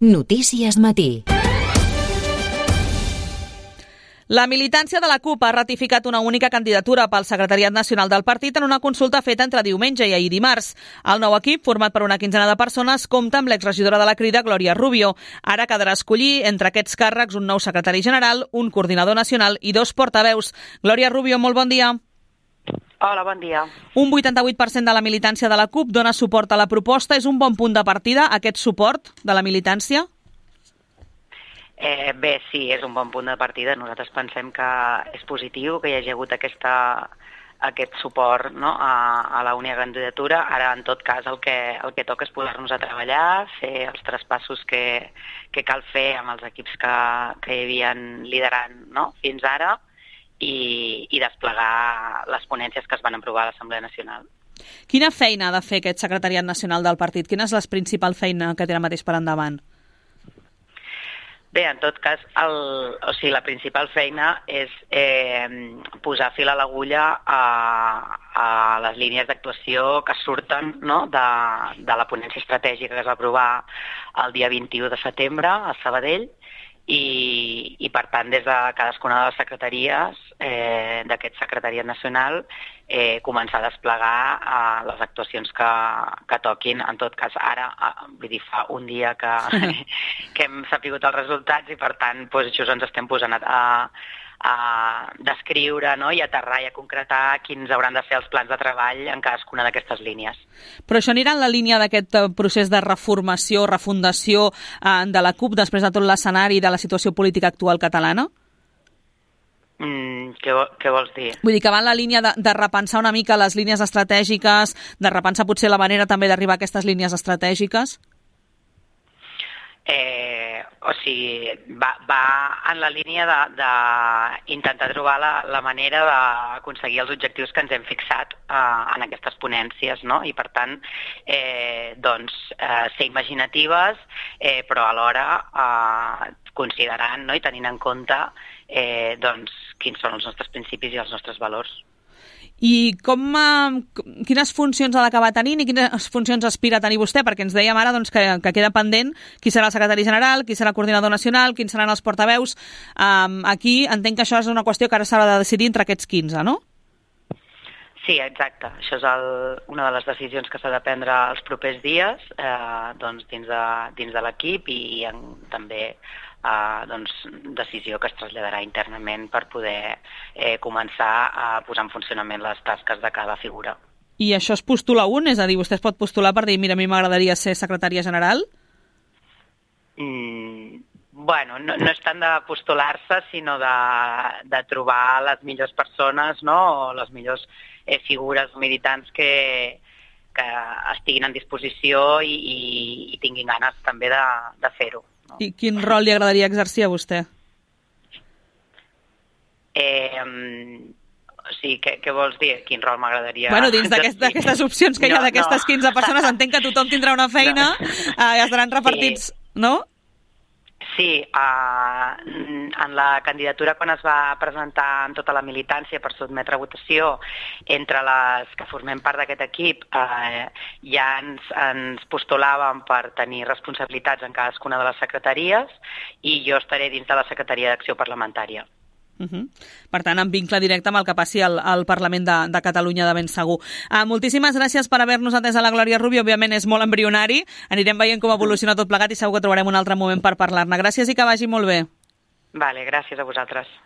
Notícies Matí. La militància de la CUP ha ratificat una única candidatura pel secretariat nacional del partit en una consulta feta entre diumenge i ahir dimarts. El nou equip, format per una quinzena de persones, compta amb l'exregidora de la Crida, Glòria Rubio. Ara quedarà escollir entre aquests càrrecs un nou secretari general, un coordinador nacional i 2 portaveus. Glòria Rubio, molt bon dia. Hola, bon dia. Un 88% de la militància de la CUP dona suport a la proposta. És un bon punt de partida, aquest suport de la militància? Bé, sí, és un bon punt de partida. Nosaltres pensem que és positiu que hi hagi hagut aquest suport, no, a la única candidatura. Ara, en tot cas, el que toca és posar-nos a treballar, fer els traspassos que cal fer amb els equips que hi havien liderant, no, fins ara i desplegar les ponències que es van aprovar a l'Assemblea Nacional. Quina feina ha de fer aquest secretariat nacional del partit? Quina és la principal feina que té ara mateix per endavant? Bé, en tot cas, la principal feina és posar fil a l'agulla a les línies d'actuació que surten, no, de la ponència estratègica que es va aprovar el dia 21 de setembre a Sabadell i per tant, des de cadascuna de les secretaries d'aquest secretariat nacional començar a desplegar les actuacions que toquin. En tot cas, ara, vull dir, fa un dia que hem sapigut els resultats i, per tant, doncs, això ens estem posant a descriure, no, i aterrar i a concretar quins hauran de ser els plans de treball en cadascuna d'aquestes línies. Però això anirà en la línia d'aquest procés de reformació, refundació de la CUP després de tot l'escenari de la situació política actual catalana? Què vols dir? Vull dir que va en la línia de repensar una mica les línies estratègiques, de repensar potser la manera també d'arribar a aquestes línies estratègiques? O sigui, va en la línia d'intentar trobar la manera d'aconseguir els objectius que ens hem fixat en aquestes ponències, no? I per tant, ser imaginatives, però alhora considerant, no, i tenint en compte quins són els nostres principis i els nostres valors. I quines funcions ha d'acabar tenint i quines funcions aspira a tenir vostè? Perquè ens dèiem ara que queda pendent qui serà el secretari general, qui serà el coordinador nacional, quins seran els portaveus. Aquí entenc que això és una qüestió que ara s'ha de decidir entre aquests 15, no? Sí, exacte. Això és una de les decisions que s'ha de prendre els propers dies dins de l'equip i també decisió que es traslladarà internament per poder començar a posar en funcionament les tasques de cada figura. I això es postula un? És a dir, vostè es pot postular per dir, mira, a mi m'agradaria ser secretària general? Bueno, no és tant de postular-se, sinó de trobar les millors persones, no?, o les millors figures militants que estiguin en disposició i tinguin ganes també de fer-ho. No? I quin rol li agradaria exercir a vostè? O sigui, què vols dir? Quin rol m'agradaria... Bueno, dins d'aquestes opcions que hi ha d'aquestes 15 persones, entenc que tothom tindrà una feina i estaran repartits, no? Sí, en la candidatura, quan es va presentar en tota la militància per sotmetre a votació, entre les que formem part d'aquest equip, ja ens postulàvem per tenir responsabilitats en cadascuna de les secretaries i jo estaré dins de la Secretaria d'Acció Parlamentària. Per tant, en vincle directe amb el que passi al Parlament de Catalunya de ben segur. Moltíssimes gràcies per haver-nos atès a la Glòria Rubio. Òbviament és molt embrionari. Anirem veient com evoluciona tot plegat i segur que trobarem un altre moment per parlar-ne. Gràcies i que vagi molt bé. Vale, gràcies a vosaltres.